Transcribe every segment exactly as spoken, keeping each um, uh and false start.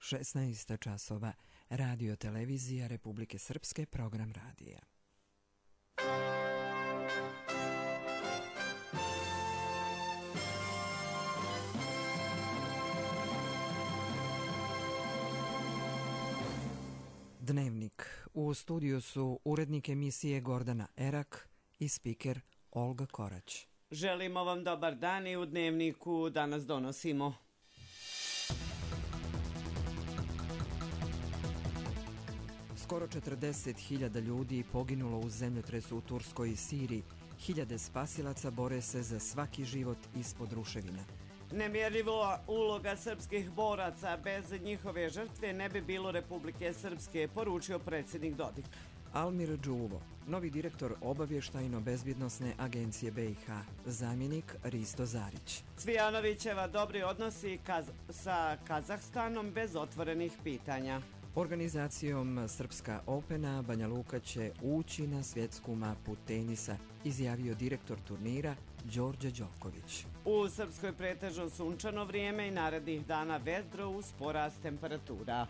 šesnaest časova, Radio Televizija Republike Srpske, program radija. Dnevnik. U studiju su urednik emisije Gordana Erak i spiker Olga Korać. Želimo vam dobar dan i u Dnevniku danas donosimo. Skoro četrdeset hiljada ljudi poginulo u zemljotresu u Turskoj i Siriji. Hiljade spasilaca bore se za svaki život ispod ruševina. Nemjerljiva uloga srpskih boraca, bez njihove žrtve ne bi bilo Republike Srpske, poručio predsjednik Dodik. Almir Đuvo, novi direktor obavještajno-bezbjednosne agencije B i H, zamjenik Risto Zarić. Cvijanovićeva dobri odnosi kaz sa Kazahstanom bez otvorenih pitanja. Organizacijom Srpska Opena Banja Luka će ući na svjetsku mapu tenisa, izjavio direktor turnira Đorđe Đoković. U Srpskoj pretežno sunčano vrijeme i narednih dana vedro uz porast temperatura.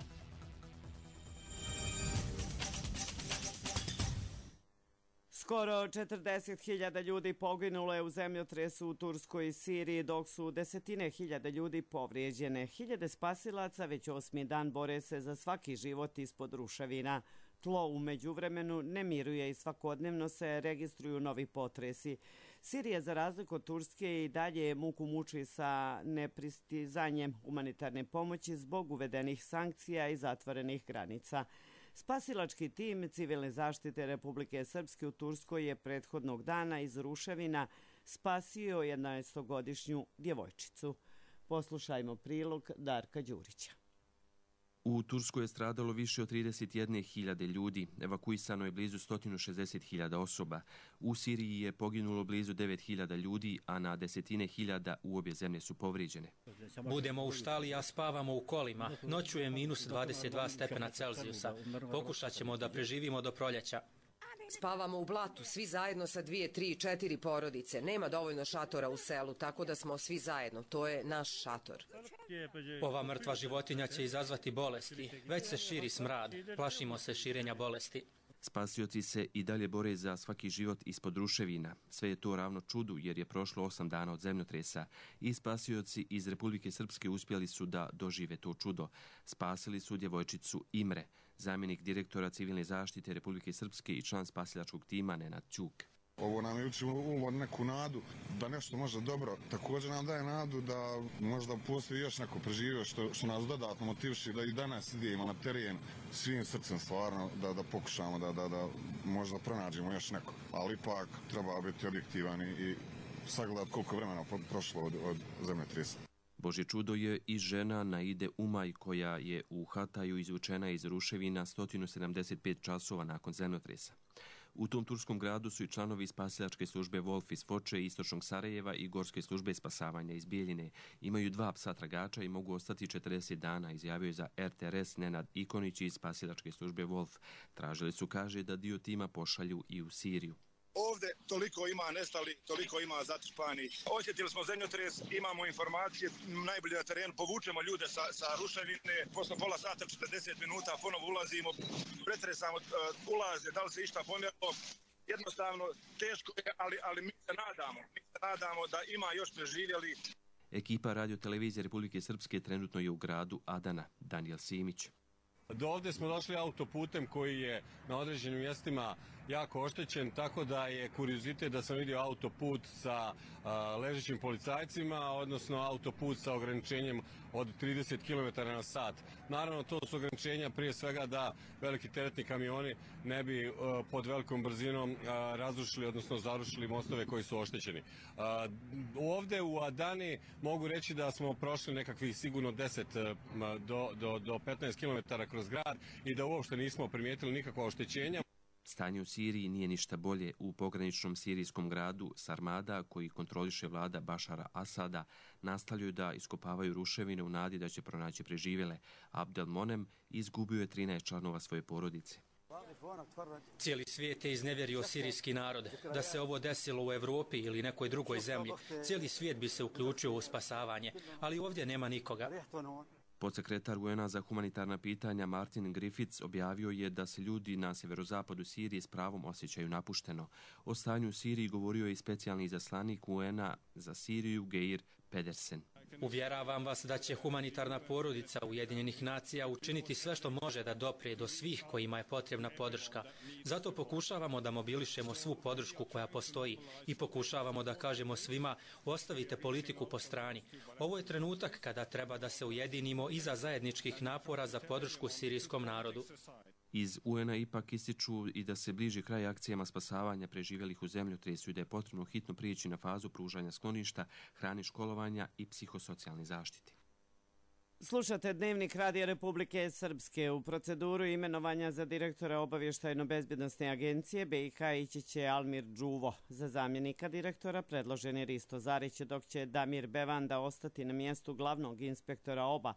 Skoro četrdeset hiljada ljudi poginulo je u zemljotresu u Turskoj i Siriji, dok su desetine hiljada ljudi povrijeđene. Hiljade spasilaca već osmi dan bore se za svaki život ispod ruševina. Tlo u međuvremenu ne miruje i svakodnevno se registruju novi potresi. Sirija, za razliku od Turske, i dalje muku muči sa nepristizanjem humanitarne pomoći zbog uvedenih sankcija i zatvorenih granica. Spasilački tim civilne zaštite Republike Srpske u Turskoj je prethodnog dana iz ruševina spasio jedanaestogodišnju djevojčicu. Poslušajmo prilog Darka Đurića. U Turskoj je stradalo više od trideset jedne hiljade ljudi, evakuisano je blizu sto šezdeset hiljada osoba. U Siriji je poginulo blizu devet hiljada ljudi, a na desetine hiljada u obje zemlje su povrijeđene. Budemo u štali, a spavamo u kolima. Noću je minus dvadeset dva stepena Celzijusa. Pokušat ćemo da preživimo do proljeća. Spavamo u blatu, svi zajedno sa dvije, tri, četiri porodice. Nema dovoljno šatora u selu, tako da smo svi zajedno. To je naš šator. Ova mrtva životinja će izazvati bolesti. Već se širi smrad. Plašimo se širenja bolesti. Spasioci se i dalje bore za svaki život ispod ruševina. Sve je to ravno čudu jer je prošlo osam dana od zemljotresa i spasioci iz Republike Srpske uspjeli su da dožive to čudo. Spasili su djevojčicu Imre, zamjenik direktora civilne zaštite Republike Srpske i član spasilačkog tima Nenad Ćuk. Ovo nam uči uvod neku nadu da nešto može dobro. Također nam daje nadu da možda postoji još neko preživio što, što nas dodatno motiviši da i danas idemo na teren svim srcem stvarno da, da pokušamo da, da, da možda pronađemo još neko. Ali ipak treba biti objektivan i sagledati koliko vremena prošlo od, od zemljotresa. Božje čudo je i žena Naide Umaj koja je u Hataju izvučena iz ruševina sto sedamdeset pet časova nakon zemljotresa. U tom turskom gradu su i članovi spasilačke službe Wolf iz Foče, istočnog Sarajeva i gorske službe spasavanja iz Bijeljine. Imaju dva psa tragača i mogu ostati četrdeset dana, izjavio je za R T R S Nenad Ikonić iz spasilačke službe Wolf. Tražili su, kaže, da dio tima pošalju i u Siriju. Ovdje toliko ima nestali, toliko ima zatrpani. Osjetili smo zemljotres, imamo informacije, najbolje na terenu, povučemo ljude sa, sa ruševine, posle pola sata, četrdeset minuta, ponovo ulazimo, pretresamo uh, ulaze, da li se išta pomjerilo. Jednostavno, teško je, ali, ali mi se nadamo, mi se nadamo da ima još preživjeli. Ekipa Radio Televizije Republike Srpske trenutno je u gradu Adana. Daniel Simić. Do ovdje smo došli autoputem koji je na određenim mjestima jako oštećen, tako da je kuriozitet da sam vidio autoput sa a, ležećim policajcima, odnosno autoput sa ograničenjem od trideset kilometara na sat. Naravno, to su ograničenja prije svega da veliki teretni kamioni ne bi a, pod velikom brzinom a, razrušili, odnosno zarušili mostove koji su oštećeni. A, ovdje u Adani mogu reći da smo prošli nekakvih sigurno deset do, do, do petnaest kilometara kroz grad i da uopšte nismo primijetili nikakva oštećenja. Stanje u Siriji nije ništa bolje. U pograničnom sirijskom gradu Sarmada, koji kontroliše vlada Bašara Asada, nastavljaju da iskopavaju ruševine u nadi da će pronaći preživjele. Abdel Monem izgubio je trinaest članova svoje porodice. Cijeli svijet je iznevjerio sirijski narod. Da se ovo desilo u Evropi ili nekoj drugoj zemlji, cijeli svijet bi se uključio u spasavanje, ali ovdje nema nikoga. Podsekretar U N A za humanitarna pitanja Martin Griffiths objavio je da se ljudi na severozapadu Sirije s pravom osjećaju napušteno. O stanju u Siriji govorio je i specijalni izaslanik U N A za Siriju Geir Pedersen. Uvjeravam vas da će humanitarna porodica Ujedinjenih nacija učiniti sve što može da doprije do svih kojima je potrebna podrška. Zato pokušavamo da mobilišemo svu podršku koja postoji i pokušavamo da kažemo svima ostavite politiku po strani. Ovo je trenutak kada treba da se ujedinimo iza zajedničkih napora za podršku sirijskom narodu. Iz U N A ipak ističu i da se bliži kraj akcijama spasavanja preživjelih u zemljotresu i da je potrebno hitno prijeći na fazu pružanja skloništa, hrane, školovanja i psihosocijalne zaštite. Slušate Dnevnik Radija Republike Srpske. U proceduru imenovanja za direktora Obavještajno-bezbjednosne agencije B i H ići će Almir Đuvo. Za zamjenika direktora predložen je Risto Zarić, dok će Damir Bevanda ostati na mjestu glavnog inspektora O B A,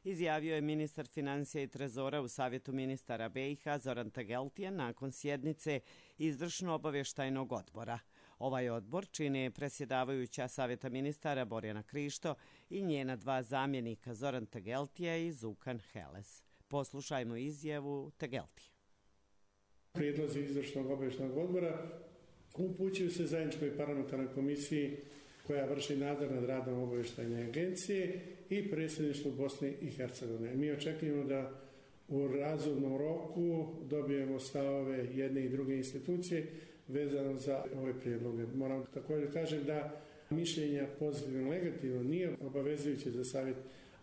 izjavio je ministar financija i trezora u Savjetu ministara B i H Zoran Tegeltije nakon sjednice izvršno-obavještajnog odbora. Ovaj odbor čine predsjedavajuća Savjeta ministara Borjana Krišto i njena dva zamjenika Zoran Tegeltija i Zukan Heles. Poslušajmo izjavu Tegeltije. Prijedlozi izvršnog obavještajnog odbora upućuju se zajedničkoj parlamentarnoj komisiji koja vrši nadzor nad radom obavještajne agencije i predsjedništvu Bosne i Hercegovine. Mi očekujemo da u razumnom roku dobijemo stavove jedne i druge institucije vezano za ove prijedloge. Moram također kažem da mišljenja pozitivno i negativno nije obavezujuće za savjet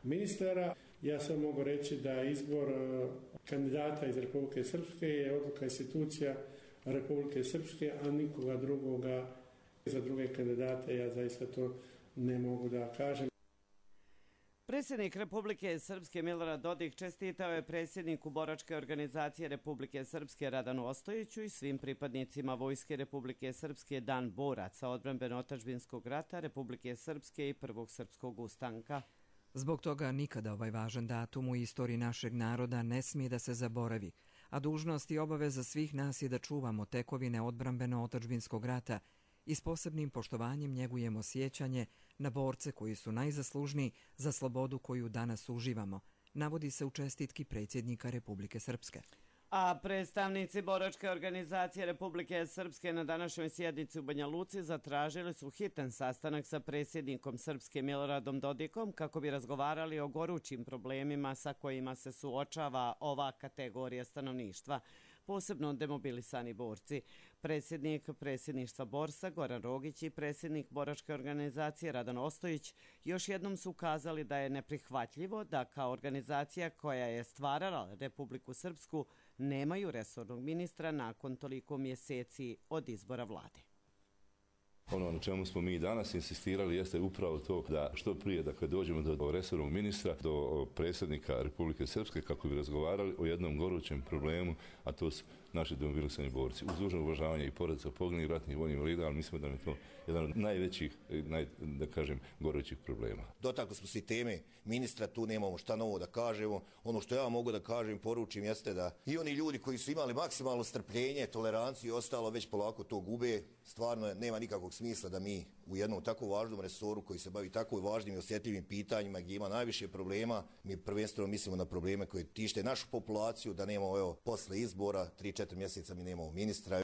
ministara. Ja sam mogu reći da izbor kandidata iz Republike Srpske je odluka institucija Republike Srpske, a nikoga drugoga. Za druge kandidate ja zaista to ne mogu da kažem. Predsjednik Republike Srpske Milorad Dodik čestitao je predsjedniku boračke organizacije Republike Srpske Radanu Ostojiću i svim pripadnicima Vojske Republike Srpske Dan boraca odbrambeno-otadžbinskog rata Republike Srpske i Prvog srpskog ustanka. Zbog toga nikada ovaj važan datum u istoriji našeg naroda ne smije da se zaboravi, a dužnost i obaveza svih nas je da čuvamo tekovine odbrambeno-otadžbinskog rata i s posebnim poštovanjem njegujemo sjećanje na borce koji su najzaslužniji za slobodu koju danas uživamo, navodi se u čestitki predsjednika Republike Srpske. A predstavnici boračke organizacije Republike Srpske na današnjoj sjednici u Banja Luci zatražili su hitan sastanak sa predsjednikom Srpske Miloradom Dodikom kako bi razgovarali o gorućim problemima sa kojima se suočava ova kategorija stanovništva, posebno demobilisani borci. Predsjednik predsjedništva Borsa Goran Rogić i predsjednik boračke organizacije Radan Ostojić još jednom su ukazali da je neprihvatljivo da kao organizacija koja je stvarala Republiku Srpsku nemaju resornog ministra nakon toliko mjeseci od izbora vlade. Ono na čemu smo mi danas insistirali jeste upravo to da što prije dakle, dođemo do resornog ministra, do predsjednika Republike Srpske kako bi razgovarali o jednom gorućem problemu, a to su naši demobilisani borci. Uz dužno uvažavanje i porodica poginulih ratnih vojnih invalida, ali mislimo da je to jedan od najvećih, naj, da kažem, gorućih problema. Dotakli smo se i teme ministra, tu nemamo šta novo da kažemo. Ono što ja mogu da kažem, poručim, jeste da i oni ljudi koji su imali maksimalno strpljenje, toleranciju i ostalo, već polako to gube. Stvarno nema nikakvog smisla da mi u jednom tako važnom resoru koji se bavi tako važnim i osjetljivim pitanjima gdje ima najviše problema, mi prvenstveno mislimo na probleme koje tište našu populaciju, da nemamo evo, posle izbora, tri četiri mjeseca mi nemamo ministra.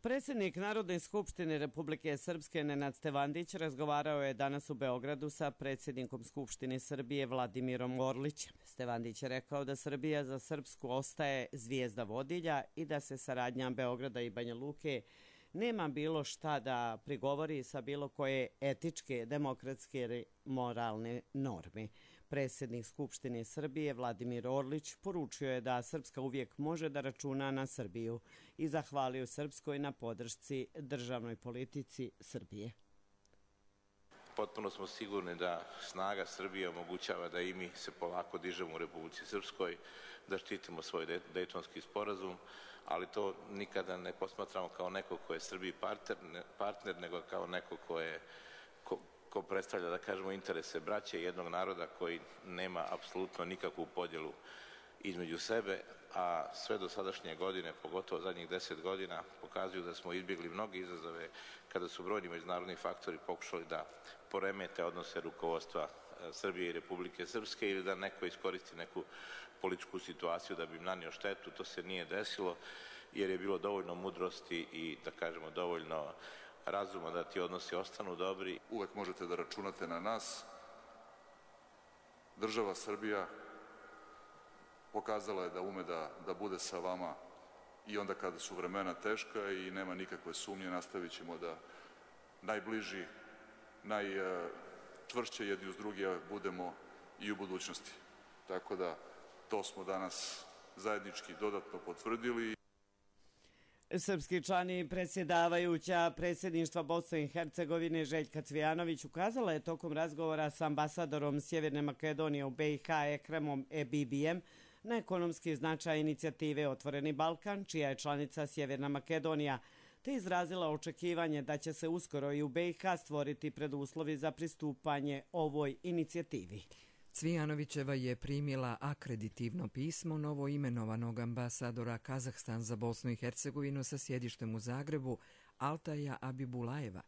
Predsjednik Narodne skupštine Republike Srpske Nenad Stevandić razgovarao je danas u Beogradu sa predsjednikom Skupštine Srbije Vladimirom Orlićem. Stevandić je rekao da Srbija za Srpsku ostaje zvijezda vodilja i da se saradnja Beograda i Banja Luke nema bilo šta da prigovori sa bilo koje etičke, demokratske ili moralne norme. Predsjednik Skupštine Srbije Vladimir Orlić poručio je da Srpska uvijek može da računa na Srbiju i zahvalio Srpskoj na podršci državnoj politici Srbije. Potpuno smo sigurni da snaga Srbije omogućava da i mi se polako dižemo u Republici Srpskoj, da štitimo svoj Dejtonski sporazum, ali to nikada ne posmatramo kao neko ko je Srbiji partner, partner nego kao neko ko je ko, ko predstavlja, da kažemo, interese braće jednog naroda koji nema apsolutno nikakvu podjelu između sebe, a sve do sadašnje godine, pogotovo zadnjih deset godina, pokazuju da smo izbjegli mnoge izazove kada su brojni međunarodni faktori pokušali da poremete odnose rukovodstva Srbije i Republike Srpske ili da neko iskoristi neku političku situaciju da bi im nanio štetu. To se nije desilo jer je bilo dovoljno mudrosti i, da kažemo, dovoljno razuma da ti odnosi ostanu dobri. Uvek možete da računate na nas. Država Srbija pokazala je da ume da, da bude sa vama i onda kada su vremena teška i nema nikakve sumnje, nastavit ćemo da najbliži, najčvršće jedni uz drugi budemo i u budućnosti. Tako da to smo danas zajednički dodatno potvrdili. Srpski član i predsjedavajuća predsjedništva Bosne i Hercegovine Željka Cvijanović ukazala je tokom razgovora s ambasadorom Sjeverne Makedonije u B i H Ekremom Ebibijem na ekonomski značaj inicijative Otvoreni Balkan, čija je članica Sjeverna Makedonija, te izrazila očekivanje da će se uskoro i u B i H stvoriti preduslovi za pristupanje ovoj inicijativi. Cvijanovićeva je primila akreditivno pismo novoimenovanog ambasadora Kazahstan za Bosnu i Hercegovinu sa sjedištem u Zagrebu, Altaja Abibulajeva.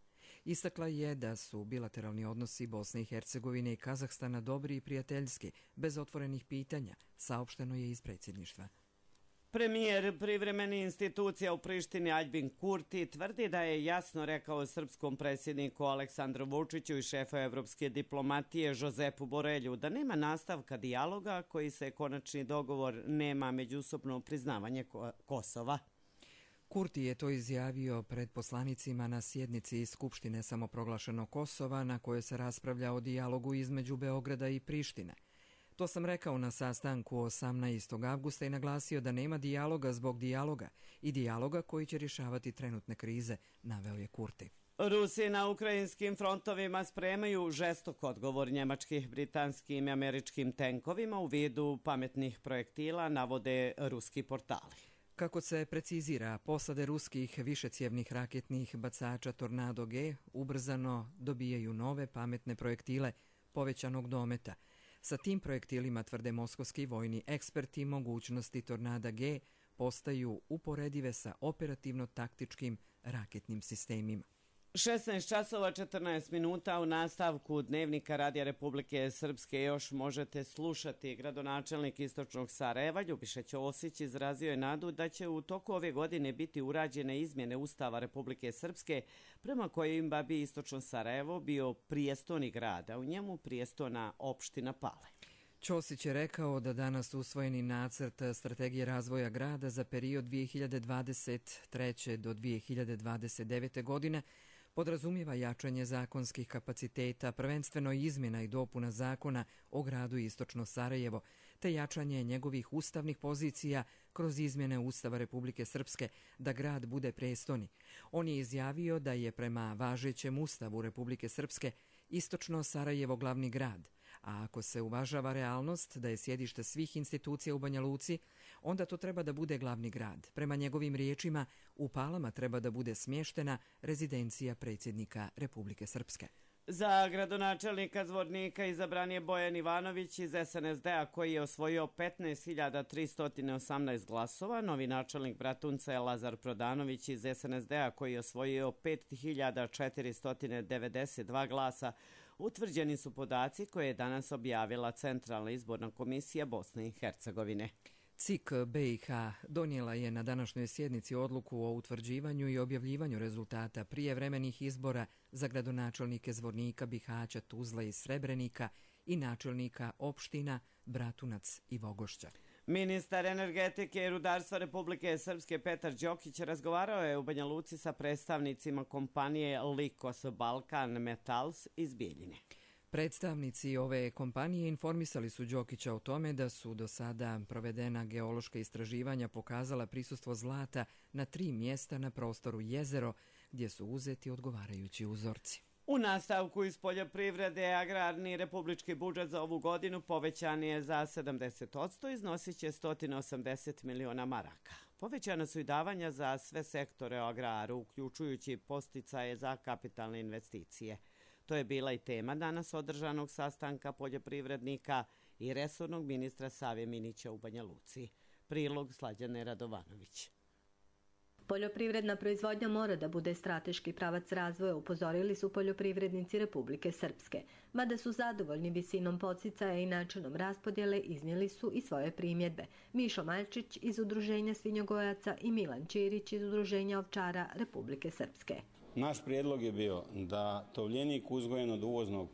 Istakla je da su bilateralni odnosi Bosne i Hercegovine i Kazahstana dobri i prijateljski, bez otvorenih pitanja, saopšteno je iz predsjedništva. Premijer privremene institucija u Prištini Aljbin Kurti tvrdi da je jasno rekao srpskom predsjedniku Aleksandru Vučiću i šefu evropske diplomatije Jozepu Borelju da nema nastavka dijaloga koji se konačni dogovor nema međusobno priznavanje Kosova. Kurti je to izjavio pred poslanicima na sjednici Skupštine samoproglašenog Kosova na kojoj se raspravlja o dijalogu između Beograda i Prištine. To sam rekao na sastanku osamnaestog avgusta i naglasio da nema dijaloga zbog dijaloga i dijaloga koji će rješavati trenutne krize, naveo je Kurti. Rusi na ukrajinskim frontovima spremaju žestok odgovor njemačkih, britanskim i američkim tenkovima u vidu pametnih projektila, navode ruski portali. Kako se precizira, posade ruskih višecjevnih raketnih bacača Tornado G ubrzano dobijaju nove pametne projektile povećanog dometa. Sa tim projektilima, tvrde moskovski vojni eksperti, mogućnosti Tornada G postaju uporedive sa operativno-taktičkim raketnim sistemima. šesnaest časova četrnaest minuta u nastavku Dnevnika Radija Republike Srpske još možete slušati. Gradonačelnik Istočnog Sarajeva Ljubiša Ćosić izrazio je nadu da će u toku ove godine biti urađene izmjene Ustava Republike Srpske prema kojima bi Istočno Sarajevo bio prijestoni grad, a u njemu prijestona opština Pale. Ćosić je rekao da danas usvojeni nacrt strategije razvoja grada za period dvije hiljade dvadeset treće do dvije hiljade dvadeset devete godine podrazumijeva jačanje zakonskih kapaciteta, prvenstveno izmjena i dopuna zakona o gradu Istočno Sarajevo, te jačanje njegovih ustavnih pozicija kroz izmjene Ustava Republike Srpske da grad bude prestoni. On je izjavio da je prema važećem Ustavu Republike Srpske Istočno Sarajevo glavni grad, a ako se uvažava realnost da je sjedište svih institucija u Banja Luci, onda to treba da bude glavni grad. Prema njegovim riječima, u Palama treba da bude smještena rezidencija predsjednika Republike Srpske. Za gradonačelnika Zvornika izabran je Bojan Ivanović iz S N S D-a koji je osvojio petnaest hiljada tristo osamnaest glasova. Novi načelnik Bratunca je Lazar Prodanović iz S N S D-a koji je osvojio pet hiljada četiristo devedeset dva glasa. Utvrđeni su podaci koje je danas objavila Centralna izborna komisija Bosne i Hercegovine. C I K B i H donijela je na današnjoj sjednici odluku o utvrđivanju i objavljivanju rezultata prijevremenih izbora za gradonačelnike Zvornika, Bihaća, Tuzla i Srebrenika i načelnika opština Bratunac i Vogošća. Ministar energetike i rudarstva Republike Srpske Petar Đokić razgovarao je u Banja Luci sa predstavnicima kompanije Likos Balkan Metals iz Bijeljine. Predstavnici ove kompanije informisali su Đokića o tome da su do sada provedena geološka istraživanja pokazala prisustvo zlata na tri mjesta na prostoru Jezero, gdje su uzeti odgovarajući uzorci. U nastavku iz poljoprivrede agrarni republički budžet za ovu godinu povećan je za sedamdeset posto, iznosit će sto osamdeset miliona maraka. Povećana su i davanja za sve sektore o agraru, uključujući posticaje za kapitalne investicije. To je bila i tema danas održanog sastanka poljoprivrednika i resornog ministra Save Minića u Banja Luci. Prilog Slađane Radovanović. Poljoprivredna proizvodnja mora da bude strateški pravac razvoja, upozorili su poljoprivrednici Republike Srpske. Mada su zadovoljni visinom podsticaja i načinom raspodjele, iznijeli su i svoje primjedbe. Mišo Maljčić iz Udruženja svinjogojaca i Milan Ćirić iz Udruženja ovčara Republike Srpske. Naš prijedlog je bio da tovljenik uzgojen od uvoznog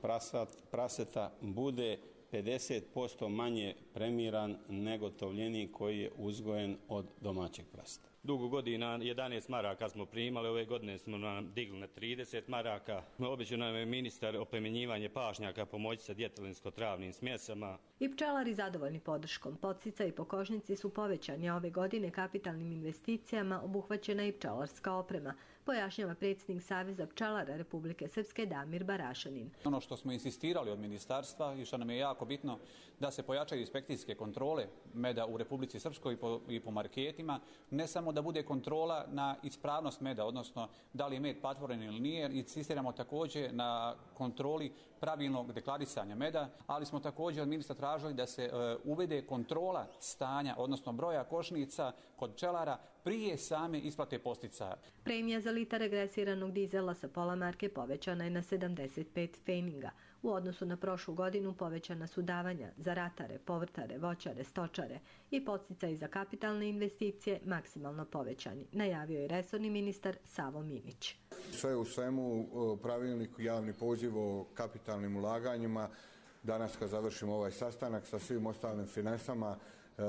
praseta bude pedeset posto manje premiran nego tovljenik koji je uzgojen od domaćeg praseta. Dugo godina jedanaest maraka smo primali, ove godine smo nam digli na trideset maraka. Obećao nam je ministar oplemenjivanje pašnjaka, pomoći sa djetelinsko-travnim smjesama. I pčelari zadovoljni podrškom. Podsticaji po košnici su povećani ove godine kapitalnim investicijama, obuhvaćena i pčelarska oprema, pojašnjava predsjednik Saveza pčelara Republike Srpske Damir Barašanin. Ono što smo insistirali od ministarstva i što nam je jako bitno, da se pojačaju inspekcijske kontrole meda u Republici Srpskoj i po, i po marketima, ne samo da bude kontrola na ispravnost meda, odnosno da li je med patvoren ili nije, insistiramo također na kontroli pravilnog deklarisanja meda, ali smo također od ministra tražili da se e, uvede kontrola stanja, odnosno broja košnica kod pčelara prije same isplate podsticaja. Premija za litar regresiranog dizela sa pola marke povećana je na sedamdeset pet pfeninga. U odnosu na prošlu godinu povećana su davanja za ratare, povrtare, voćare, stočare i podsticaji za kapitalne investicije maksimalno povećani, najavio je resorni ministar Savo Minić. Sve u svemu pravilnik, javni poziv o kapitalnim ulaganjima, danas kad završimo ovaj sastanak sa svim ostalim finansama, e,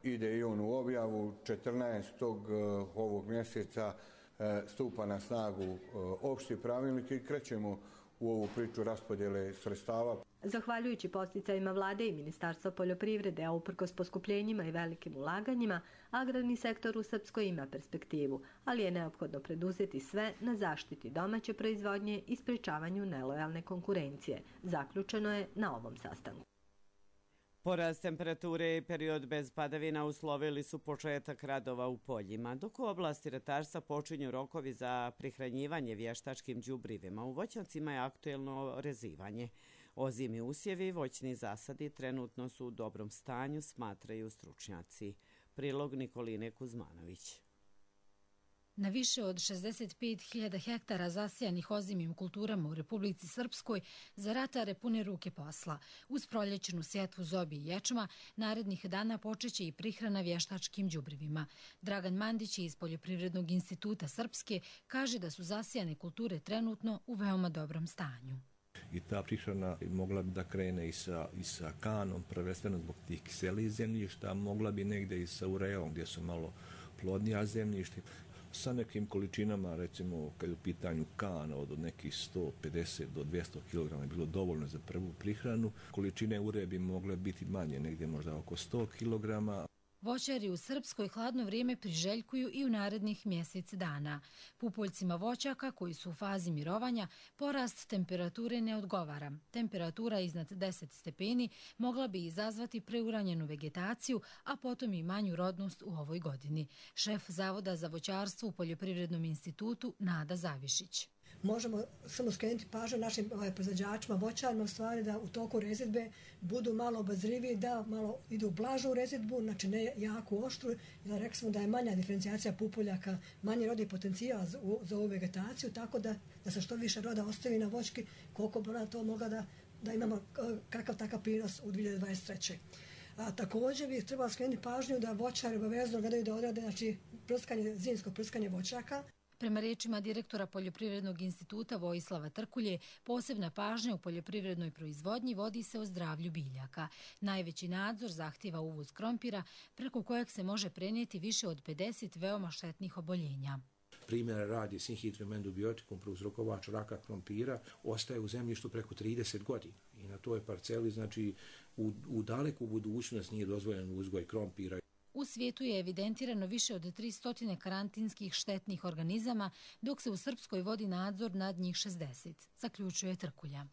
ide i on u objavu. četrnaestog ovog mjeseca e, stupa na snagu e, opšti pravilnik i krećemo u ovu priču raspodjele sredstava. Zahvaljujući podsticajima vlade i Ministarstva poljoprivrede, a uprkos poskupljenjima i velikim ulaganjima, agrarni sektor u Srpskoj ima perspektivu, ali je neophodno preduzeti sve na zaštiti domaće proizvodnje i sprečavanju nelojalne konkurencije. Zaključeno je na ovom sastanku. Porast temperature i period bez padavina uslovili su početak radova u poljima, dok u oblasti ratarstva počinju rokovi za prihranjivanje vještačkim đubrivima. U voćnjacima je aktuelno rezivanje. Ozimi usjevi i voćni zasadi trenutno su u dobrom stanju, smatraju stručnjaci. Prilog Nikoline Kuzmanović. Na više od šezdeset pet hiljada hektara zasijanih ozimim kulturama u Republici Srpskoj za ratare pune ruke posla. Uz proljećnu sjetvu zobi i ječma, narednih dana počeće i prihrana vještačkim đubrivima. Dragan Mandić iz Poljoprivrednog instituta Srpske kaže da su zasijane kulture trenutno u veoma dobrom stanju. I ta prihrana mogla bi da krene i sa, i sa kanom, prvenstveno zbog tih kiselijih zemljišta, mogla bi negdje i sa ureom gdje su malo plodnija zemljišta. Sa nekim količinama, recimo kad je u pitanju kana od nekih sto pedeset do dvjesto kilograma je bilo dovoljno za prvu prihranu. Količine ure bi mogle biti manje, negdje možda oko sto kilograma. Voćari u Srpskoj hladno vrijeme priželjkuju i u narednih mjesec dana. Pupoljcima voćaka koji su u fazi mirovanja porast temperature ne odgovara. Temperatura iznad deset stepeni mogla bi izazvati preuranjenu vegetaciju, a potom i manju rodnost u ovoj godini. Šef Zavoda za voćarstvo u Poljoprivrednom institutu Nada Zavišić. Možemo samo skrenuti pažnju našim ovaj, proizvođačima, voćarima, u stvari da u toku rezidbe budu malo obazriviji, da malo idu u blažu rezidbu, znači ne jako oštru. Da rekli smo da je manja diferencijacija pupoljaka, manji rodni potencijal za, za ovu vegetaciju, tako da, da se što više roda ostavi na voćki, koliko bi ona to mogla da, da imamo kakav takav prinos u dvije tisuće dvadeset treće. A, također bih trebala skrenuti pažnju da voćari obavezno gledaju da odrade znači, prskanje, zimsko prskanje voćaka. Prema riječima direktora Poljoprivrednog instituta Vojislava Trkulje, posebna pažnja u poljoprivrednoj proizvodnji vodi se o zdravlju biljaka. Najveći nadzor zahtjeva uvoz krompira, preko kojeg se može prenijeti više od pedeset veoma štetnih oboljenja. Primjera radi sinhitrum endobiotikum, prouzrokovač raka krompira, ostaje u zemljištu preko trideset godina. I na toj parceli, znači, u, u daleku budućnost nije dozvoljen uzgoj krompira. U svijetu je evidentirano više od tristo karantinskih štetnih organizama, dok se u Srpskoj vodi nadzor nad njih šezdeset, zaključuje Trkulja.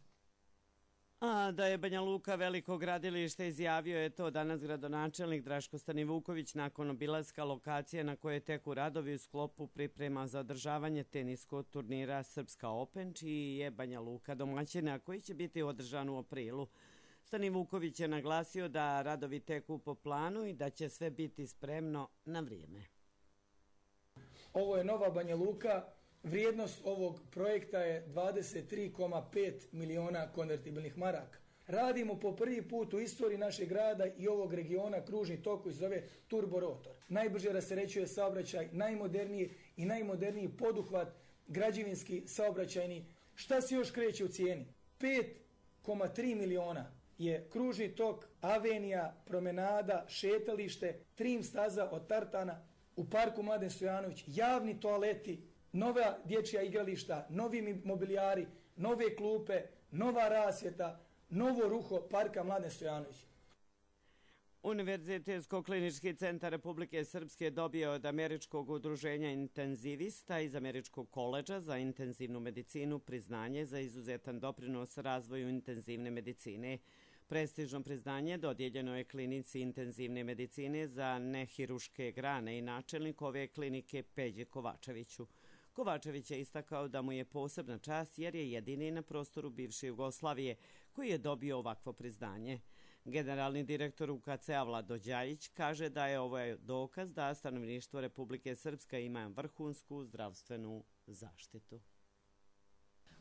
A da je Banja Luka veliko gradilište, izjavio je to danas gradonačelnik Draško Stanivuković nakon obilaska lokacije na koje teku radovi u sklopu priprema za održavanje teniskog turnira Srpska Open, čiji je Banja Luka domaćina, koji će biti održan u aprilu. Stanivuković je naglasio da radovi teku po planu i da će sve biti spremno na vrijeme. Ovo je Nova Banja Luka. Vrijednost ovog projekta je dvadeset tri zarez pet miliona konvertibilnih maraka. Radimo po prvi put u istoriji našeg grada i ovog regiona kružni tok koji se zove turborotor. Najbrže rasterećuje saobraćaj, najmoderniji i najmoderniji poduhvat građevinski saobraćajni. Šta se još kreće u cijeni? pet zarez tri miliona je kružni tok, avenija, promenada, šetalište, trim staza od tartana u parku Mladen Stojanović, javni toaleti, nova dječja igrališta, novi mobilijari, nove klupe, nova rasvjeta, novo ruho parka Mladen Stojanović. Univerzitetsko-klinički centar Republike Srpske dobio od Američkog udruženja intenzivista iz Američkog koledža za intenzivnu medicinu priznanje za izuzetan doprinos razvoju intenzivne medicine. Prestižno priznanje dodijeljeno je klinici intenzivne medicine za nehiruške grane i načelnik ove klinike Peđi Kovačeviću. Kovačević je istakao da mu je posebna čast jer je jedini na prostoru bivše Jugoslavije koji je dobio ovakvo priznanje. Generalni direktor U K C-a Vlado Đajić kaže da je ovo dokaz da stanovništvo Republike Srpske ima vrhunsku zdravstvenu zaštitu.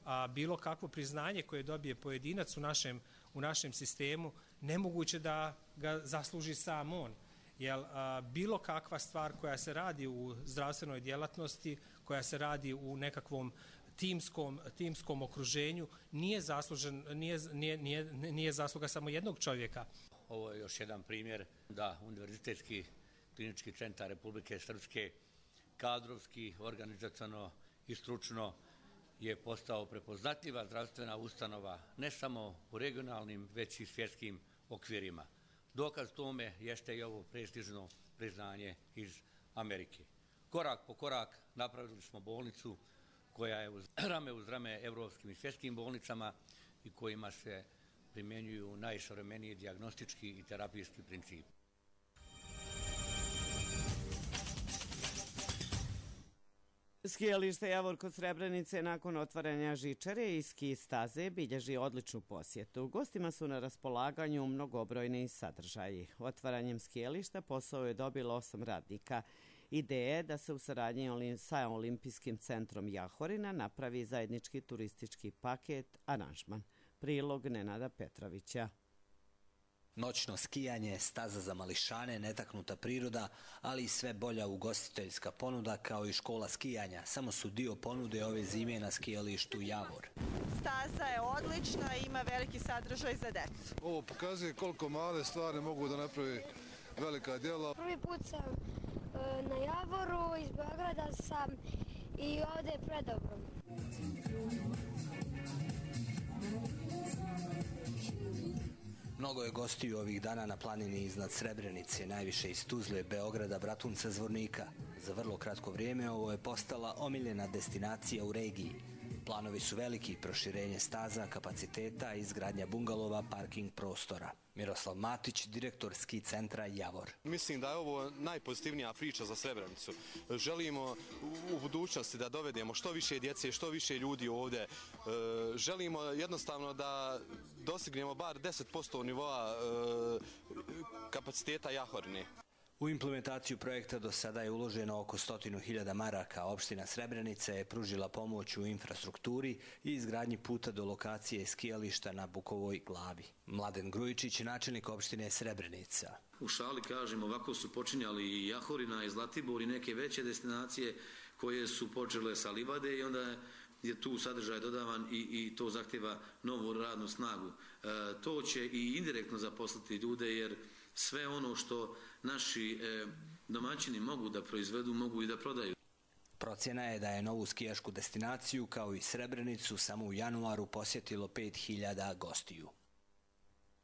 A bilo kakvo priznanje koje dobije pojedinac u našem, u našem sistemu, nemoguće da ga zasluži sam on. Jer a, bilo kakva stvar koja se radi u zdravstvenoj djelatnosti, koja se radi u nekakvom timskom, timskom okruženju, nije, zaslužen, nije, nije, nije, nije zasluga samo jednog čovjeka. Ovo je još jedan primjer da Univerzitetski klinički centar Republike Srpske kadrovski, organizaciono i stručno je postao prepoznatljiva zdravstvena ustanova ne samo u regionalnim, već i svjetskim okvirima. Dokaz tome jeste i ovo prestižno priznanje iz Amerike. Korak po korak napravili smo bolnicu koja je uz rame uz rame evropskim i svjetskim bolnicama i kojima se primjenjuju najsavremeniji dijagnostički i terapijski princip. Skijalište Javor kod Srebrenice nakon otvaranja žičare i ski staze bilježi odličnu posjetu. Gostima su na raspolaganju mnogobrojni sadržaji. Otvaranjem skijališta posao je dobilo osam radnika. Ideja je da se u saradnji sa Olimpijskim centrom Jahorina napravi zajednički turistički paket aranžman. Prilog Nenada Petrovića. Noćno skijanje, staza za mališane, netaknuta priroda, ali i sve bolja ugostiteljska ponuda kao i škola skijanja. Samo su dio ponude ove zime na skijalištu Javor. Staza je odlična i ima veliki sadržaj za decu. Ovo pokazuje koliko male stvari mogu da napravi velika djela. Prvi put sam e, na Javoru, iz Beograda sam i ovdje je predobro. Mnogo je gostiju ovih dana na planini iznad Srebrenice, najviše iz Tuzle, Beograda, Bratunca, Zvornika. Za vrlo kratko vrijeme ovo je postala omiljena destinacija u regiji. Planovi su veliki, proširenje staza, kapaciteta, izgradnja bungalova, parking prostora. Miroslav Matić, direktor ski centra Javor. Mislim da je ovo najpozitivnija priča za Srebrenicu. Želimo u budućnosti da dovedemo što više djece, što više ljudi ovdje. Želimo jednostavno da dostignemo bar deset posto nivoa kapaciteta Jahorine. U implementaciju projekta do sada je uloženo oko stotinu hiljada maraka. Opština Srebrenica je pružila pomoć u infrastrukturi i izgradnji puta do lokacije skijališta na Bukovoj glavi. Mladen Grujičić, načelnik opštine Srebrenica. U šali kažem, ovako su počinjali i Jahorina i Zlatibor i neke veće destinacije koje su počele sa livade i onda je tu sadržaj dodavan i, i to zahtjeva novu radnu snagu. E, to će i indirektno zaposliti ljude jer sve ono što naši e, domaćini mogu da proizvedu, mogu i da prodaju. Procjena je da je novu skijašku destinaciju kao i Srebrenicu samo u januaru posjetilo pet hiljada gostiju.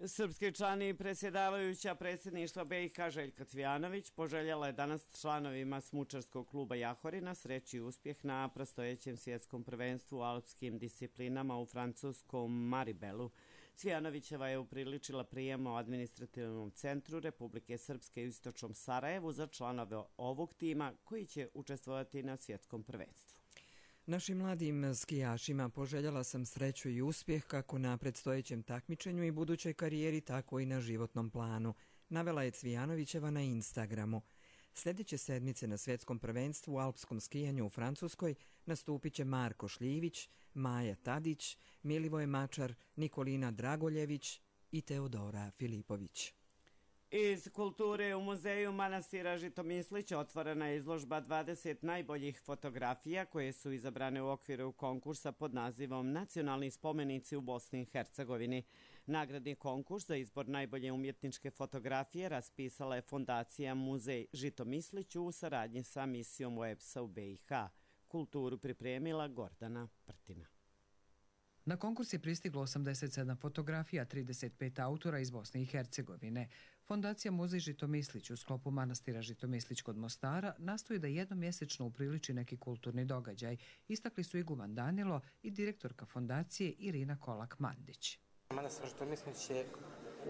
Srpski člani predsjedavajuća predsjedništva B i H Željka Cvijanović poželjela je danas članovima smučarskog kluba Jahorina sreći i uspjeh na predstojećem svjetskom prvenstvu u alpskim disciplinama u francuskom Maribelu. Cvijanovićeva je upriličila prijem u administrativnom centru Republike Srpske u istočnom Sarajevu za članove ovog tima koji će učestvovati na svjetskom prvenstvu. Našim mladim skijašima poželjela sam sreću i uspjeh kako na predstojećem takmičenju i budućoj karijeri, tako i na životnom planu, navela je Cvijanovićeva na Instagramu. Sljedeće sedmice na svjetskom prvenstvu u alpskom skijanju u Francuskoj nastupit će Marko Šljivić, Maja Tadić, Milivoje Mačar, Nikolina Dragoljević i Teodora Filipović. Iz kulture u muzeju manastira Žitomislić otvorena je izložba dvadeset najboljih fotografija koje su izabrane u okviru konkursa pod nazivom Nacionalni spomenici u Bosni i Hercegovini. Nagradni konkurs za izbor najbolje umjetničke fotografije raspisala je fondacija Muzej Žitomislić u saradnji sa misijom O E B S-a u B i H. Kulturu pripremila Gordana Prtina. Na konkurs je pristiglo osamdeset sedam fotografija, trideset pet autora iz Bosne i Hercegovine. Fondacija Muzej Žitomislić u sklopu manastira Žitomislić kod Mostara nastoji da jednomjesečno upriliči neki kulturni događaj. Istakli su iguman Danilo i direktorka fondacije Irina Kolak-Mandić. Manastir Žitomislić je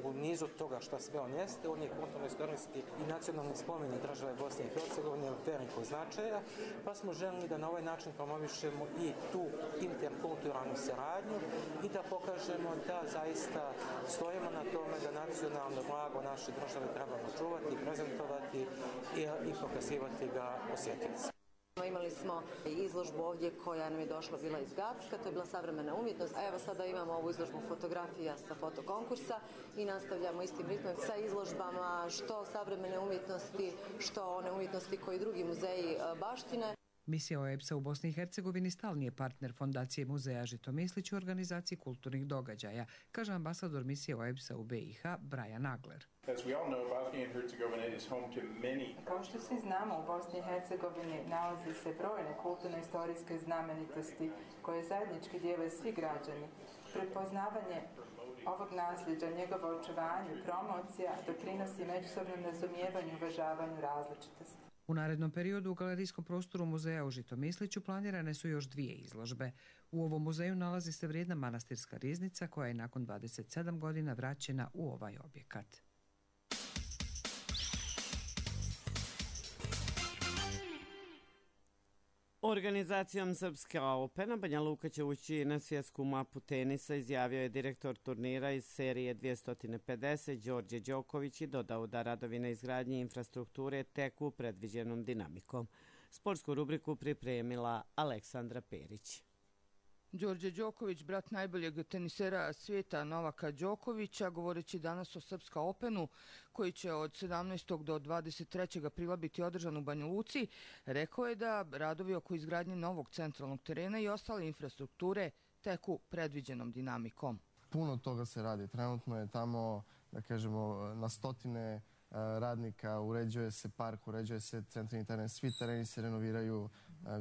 u nizu toga što sve on jeste, on je kulturno-istorijski i nacionalni spomenik države Bosne i Hercegovine od velikog značaja, pa smo želili da na ovaj način promovišemo i tu interkulturalnu saradnju i da pokažemo da zaista stojimo na tome da nacionalno blago naše države trebamo čuvati, prezentovati i, i pokazivati ga posjetioci. Imali smo izložbu ovdje koja nam je došla bila iz Gacka, to je bila savremena umjetnost, a evo sada imamo ovu izložbu fotografija sa fotokonkursa i nastavljamo istim ritmom sa izložbama što savremene umjetnosti, što one umjetnosti koji drugi muzeji baštine. Misija O E B S-a u Bosni i Hercegovini stalni je partner fondacije Muzeja Žitomislić u organizaciji kulturnih događaja, kaže ambasador misije O E B S-a u B i H Brian Nagler. Kao što svi znamo, u Bosni i Hercegovini nalazi se brojne kulturno-istorijske znamenitosti koje zajednički dijele svi građani. Prepoznavanje ovog nasljeđa, njegovo očuvanje i promocija doprinosi međusobnom razumijevanju i uvažavanju različitosti. U narednom periodu u galerijskom prostoru muzeja u Žitomisliću planirane su još dvije izložbe. U ovom muzeju nalazi se vrijedna manastirska riznica koja je nakon dvadeset sedam godina vraćena u ovaj objekat. Organizacijom Srpska Opena Banja Luka će ući na svjetsku mapu tenisa, izjavio je direktor turnira iz serije dvjesto pedeset Đorđe Đoković i dodao da radovi na izgradnji infrastrukture teku predviđenom dinamikom. Sportsku rubriku pripremila Aleksandra Perić. Đorđe Đoković, brat najboljeg tenisera svijeta Novaka Đokovića, govoreći danas o Srpska Openu, koji će od sedamnaestog do dvadeset trećeg aprila biti održan u Banja Luci, rekao je da radovi oko izgradnje novog centralnog terena i ostale infrastrukture teku predviđenom dinamikom. Puno toga se radi. Trenutno je tamo, da kažemo, na stotine radnika, uređuje se park, uređuje se centralni teren, svi tereni se renoviraju.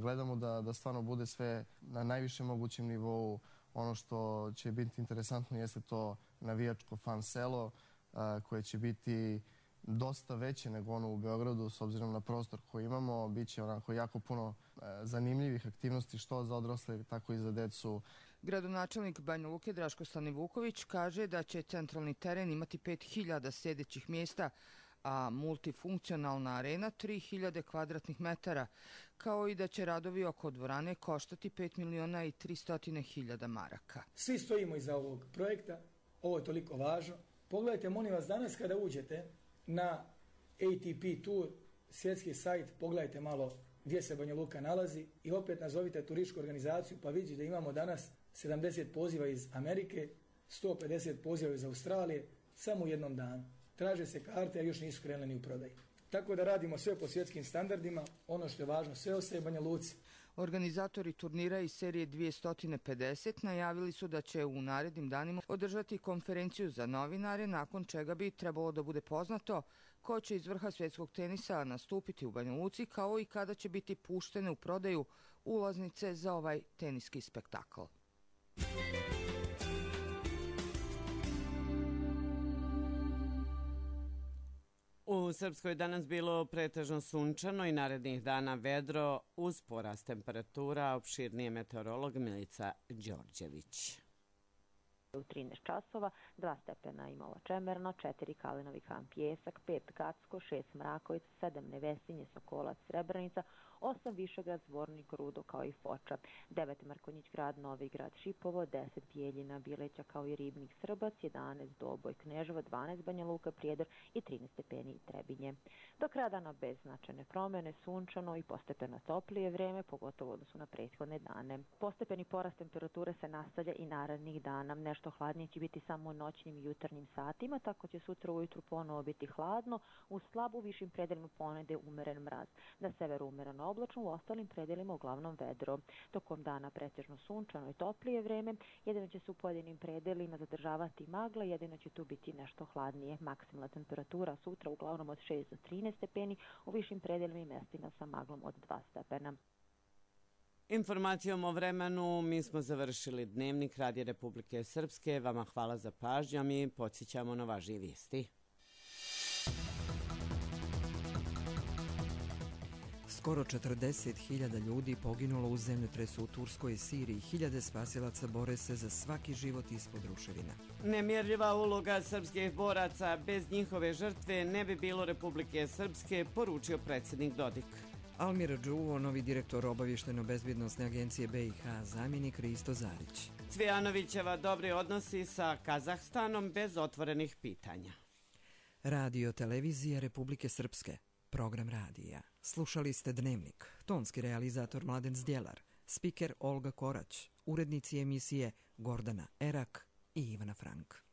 Gledamo da, da stvarno bude sve na najvišem mogućem nivou. Ono što će biti interesantno jeste to navijačko fan selo koje će biti dosta veće nego ono u Beogradu s obzirom na prostor koji imamo. Biće onako jako puno zanimljivih aktivnosti što za odrasle, tako i za decu. Gradonačelnik Banja Luke Draško Stanivuković kaže da će centralni teren imati pet hiljada sjedećih mjesta, a multifunkcionalna arena tri hiljade kvadratnih metara, kao i da će radovi oko dvorane koštati pet miliona i tristo hiljada maraka. Svi stojimo iza ovog projekta, ovo je toliko važno. Pogledajte, molim vas, danas kada uđete na A T P Tour, svjetski sajt, pogledajte malo gdje se Banja Luka nalazi i opet nazovite turističku organizaciju pa vidite da imamo danas sedamdeset poziva iz Amerike, sto pedeset poziva iz Australije, samo u jednom danu. Traže se karte, a još nisu krenuli ni u prodaju. Tako da radimo sve po svjetskim standardima, ono što je važno, sve ostaje Banja Luci. Organizatori turnira iz serije dvjesto pedeset najavili su da će u narednim danima održati konferenciju za novinare, nakon čega bi trebalo da bude poznato ko će iz vrha svjetskog tenisa nastupiti u Banja Luci, kao i kada će biti puštene u prodaju ulaznice za ovaj teniski spektakl. U Srpskoj danas bilo pretežno sunčano i narednih dana vedro uz porast temperatura, opširnije meteorolog Milica Đorđević. U trinaest časova, dva stepena Imala Čemerno, četiri Kalinovi Kamp Pjesak, pet Gacko, šest Mrakovic, sedam Nevesinje, Sokolac, Srebrenica, osam Višegrad, Zvornik, Rudo kao i Foča, devet Mrkonjić grad, Novi grad, Šipovo, deset Bijeljina, Bileća kao i Ribnik, Srbac, jedanaest Doboj, Kneževo, dvanaest Banja Luka, Prijedor i trinaest stepeni Trebinje. Do kraja dana bez značajne promjene, sunčano i postepeno toplije vreme, pogotovo odnosu na prethodne dane. Postepeni porast temperature se nastavlja i narednih dana. Nešto hladnije će biti samo u noćnim i jutarnjim satima, tako će sutra ujutru ponovo biti hladno, u slabu višim predelima ponede umeren mraz. Na severu umereno oblačno, u ostalim predelima uglavnom vedro. Tokom dana pretežno sunčano i toplije vreme, jedino će se u pojedinim predelima zadržavati magla, jedino će tu biti nešto hladnije. Maksimalna temperatura sutra uglavnom od šest do trinaest stepeni, u višim predelima i mestima sa maglom od dva stepena. Informacijom o vremenu mi smo završili Dnevnik Radija Republike Srpske. Vama hvala za pažnju, a mi podsjećamo na važnije vijesti. Skoro četrdeset hiljada ljudi poginulo u zemljotresu u Turskoj i Siriji. Hiljade spasilaca bore se za svaki život ispod ruševina. Nemjerljiva uloga srpskih boraca, bez njihove žrtve ne bi bilo Republike Srpske, poručio predsjednik Dodik. Almir Đuvo, novi direktor obavještajno-bezbjednosne agencije B i H, zamjenik Risto Zarić. Cvijanovićeva dobri odnosi sa Kazahstanom bez otvorenih pitanja. Radio televizija Republike Srpske. Program radija. Slušali ste Dnevnik. Tonski realizator Mladen Zdjelar. Spiker Olga Korać. Urednici emisije Gordana Erak i Ivana Frank.